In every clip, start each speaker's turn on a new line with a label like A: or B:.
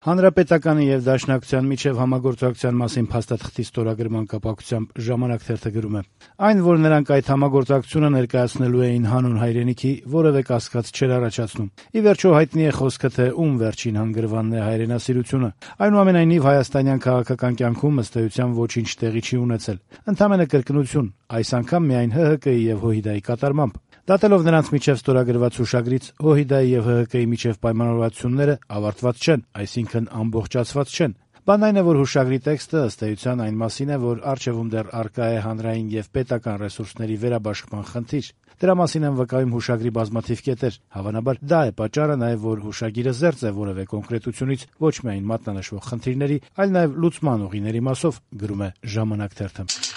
A: Հանրապետականի եւ Դաշնակցության միջեւ համագործակցության մասին փաստաթղթի ստորագրման կապակցությամբ «Ժամանակ» թերթը գրում է. «Այն, որ նրանք այդ համագործակցությունը ներկայացնելու էին հանուն հայրենիքի, որևէ կասկած չէր առաջացնում։ Ի վերջո հայտնի է խոսքը, թե ում վերջին հանգրվանն է հայրենասիրությունը։ Այնուամենայնիվ հայաստանյան քաղաքական կյանքում ըստ էության ոչինչ տեղի չի ունեցել։ Ընդամենը կրկնություն, այս անգամ միայն ՀՀԿ-ի եւ ՀՅԴ-ի կատարմամբ։ Դատելով նրանց միջև ստորագրված հուշագրից, ՀՅԴ-ի եւ ՀՀԿ-ի միջև պայմանավորվածությունները ավարտված չեն, այսինքն ամբողջացված չեն։ Բանն այն է, որ հուշագրի տեքստը ըստ էության այն մասին է, որ առջևում դեռ առկա է հանրային եւ պետական ռեսուրսների վերաբաշխման խնդիր։ Դրա մասին են վկայում հուշագրի բազմաթիվ կետեր։ Հավանաբար դա է պատճառը նաեւ, որ հուշագիրը զերծ է որևէ կոնկրետությունից ոչ միայն մատնանշվող խնդիրների, այլ նաեւ լուծման ուղիների մասով, գրում է «Ժամանակ» թերթը»։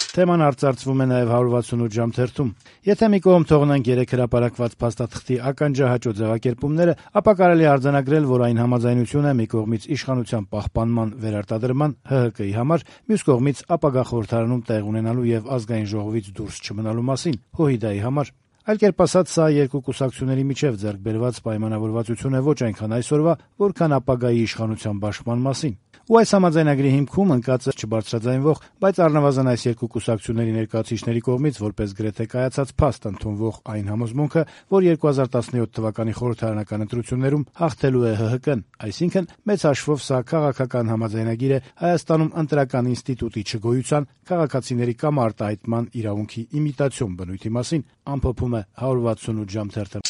A: Թեման արծարծվում է նաև 168 ժամ թերթում։ Եթե մի կողմ թողնենք 3 հրապարակված փաստաթղթի ականջահաճո ձևակերպումները, ապա կարելի է արձանագրել, որ այն համաձայնություն է մի կողմից իշխանության պահպանման վերարտադրման ՀՀԿ-ի համար, մյուս կողմից ապագա խորհրդարանում տեղ ունենալու եւ ազգային ժողովից դուրս չմնալու մասին ՀՅԴ-ի համար։ Այլ կերպ ասած, սա երկու կուսակցությունների միջև ձեռք բերված պայմանավորվածություն է ոչ այնքան այսօրվա, որքան ապագայի իշխանության բաշխման մասին։ Ու այս համաձայնագրի հիմքում ընկած է չբարձրաձայնվող, բայց առնվազն այս երկու կուսակցությունների ներկայացուցիչների կողմից որպես գրեթե կայացած փաստ ընդունվող այն համոզմունքը, որ 2017 թվականի խորհրդարանական ընտրություններում հաղթելու է ՀՀԿ-ն, այսինքն մեծ հաշվով սա քաղաքական համաձայնագիր է Հայաստանում ընտրական ինստիտուտի չգոյության, քաղաքացիների կամ արտահայտման իրավունքի իմիտացիոն բնույթի մասին, ամփոփում է 168 ժամ թերթը։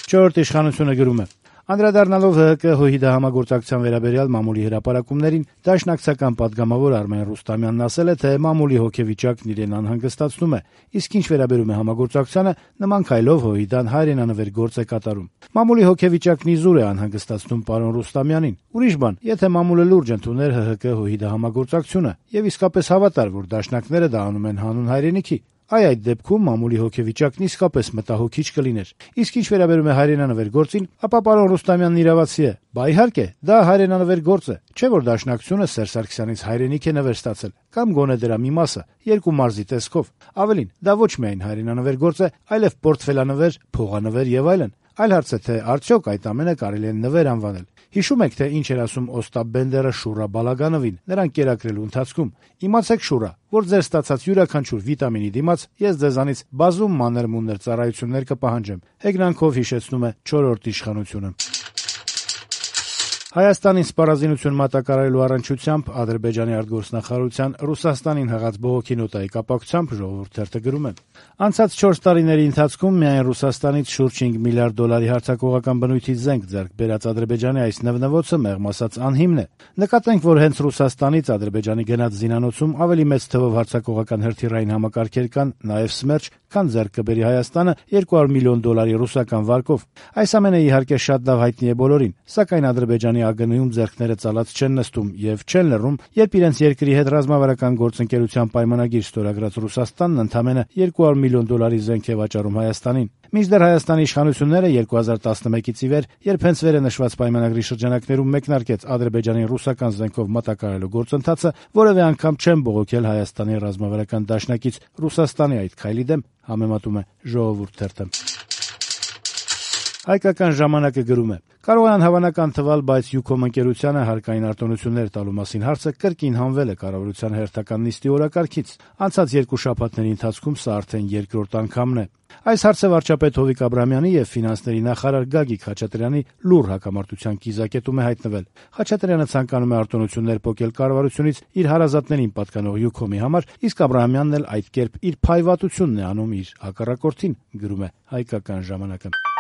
A: Չորրորդ իշխանությունը գրում է. Անդրադառնալով ՀՀԿ-ՀՅԴ համագործակցության վերաբերյալ մամուլի հրապարակումներին, դաշնակցական պատգամավոր Արմեն Ռուստամյանն ասել է, թե մամուլի հոգեվիճակն իրեն անհանգստացնում է, իսկ ինչ վերաբերում է համագործակցությանը, նման քայլով ՀՅԴ-ն հայրենանվեր գործ է կատարում։ Մամուլի հոգեվիճակն իզուր է անհանգստացնում պարոն Ռուստամյանին։ Ուրիշ բան, եթե մամուլը լուրջ ընդուներ ՀՀԿ-ՀՅԴ համագործակցությունը եւ իսկապես հավատար, որ դաշնակները դա անում են հանուն հայրենիքի, այդ դեպքում մամուլի հոգեվիճակն իսկապես մտահոգիչ կլիներ։ Իսկ ինչ վերաբերում է հայրենանվեր գործին, ապա պարոն Ռուստամյանն իրավացի է։ Բա իհարկե, դա հայրենանվեր գործ է, չէ՞ որ Դաշնակցությունը Սերժ Սարգսյանից հայրենիք է նվեր ստացել, կամ գոնե դրա մի մասը, երկու մարզի տեսքով։ Ավելին, դա ոչ միայն հայրենանվեր գործ է, այլև պորտֆելանվեր, փողանվեր եւ այլն։ Այլ հարց է, թե արդյոք այդ ամենը կարելի է նվեր անվանել։ Հիշում եք, թե ինչ էր ասում Օստապ Բենդերը Շուրա Բալագանովին, նրան կերակրելու ընթացքում։ Իմացեք, Շուրա, որ ձեր ստացած յուրաքանչյուր վիտամինի դիմաց ես ձեզանից բազում մանր-մունր ծառայություններ կպահանջեմ։ Հեգնանքով հիշեցնում է 4-րդ իշխանությունը։ Հայաստանին սպառազինություն մատակարարելու առնչությամբ Ադրբեջանի արտգործնախարարության Ռուսաստանին հղած բողոքի նոտայի կապակցությամբ Ժողովուրդ թերթը գրում է. Անցած 4 տարիների ընթացքում միայն Ռուսաստանից շուրջ 5 միլիարդ դոլարի հարձակողական բնույթի զենք ձեռք բերած Ադրբեջանի այս նվնվոցը մեղմ ասած անհիմն է։ Նկատենք, որ հենց Ռուսաստանից Ադրբեջանի գնաց զինանոցում ավելի մեծ թվով հարձակողական հրթիռային համակարգեր կան, նաև Սմերջ, քան ձեռք կբերի Հայաստանը 200 միլիոն դոլարի ռուսական վարկով։ Այս ամենը իհարկե շատ լավ հայտնի է բոլորին, սակայն Ադրբեջանի ԱԳՆ-ում ձեռքները ծալած չեն նստում եւ չեն լռում, երբ իրենց երկրի հետ ռազմավարական գործընկերության պայմանագիր ստորագրած Ռուսաստանն ընդամենը 200 միլիոն դոլարի զենք է վաճառում Հայաստանին։ Մինչդեռ Հայաստանի իշխանությունները 2011-ից ի վեր, երբ հենց վերը նշված պայմանագրի շրջանակներում մեկնարկեց Ադրբեջանի ռուսական զենքով մատակարարելու գործընթացը, որևէ անգամ չեն բողոքել Հայաստանի ռազմավարական դաշնակից Ռուսաստանի այդ քայլի դեմ, համեմատում է Ժողովուրդ թերթը։ Հայկական ժամանակը գրում է. կարող են հավանական թվալ, բայց Յուքոմ ընկերությանը հարկային արտոնություններ տալու մասին հարցը կրկին հանվել է կառավարության հերթական նիստի օրակարգից։ Անցած 2 շաբաթների ընթացքում սա արդեն երկրորդ անգամն է։ Այս հարցը վարչապետ Հովիկ Աբրամյանի եւ ֆինանսների նախարար Գագիկ Խաչատրյանի լուր հակամարտության կիզակետում է հայտնվել։ Խաչատրյանը ցանկանում է արտոնություններ պոկել կառավարությունից իր հարազատներին պատկանող Յուքոմի համար, իսկ Աբրահամյանն էլ այդ կերպ իր փայվատությունն է անում իր հակառակորդին, գրում է Հայկական ժամանակը։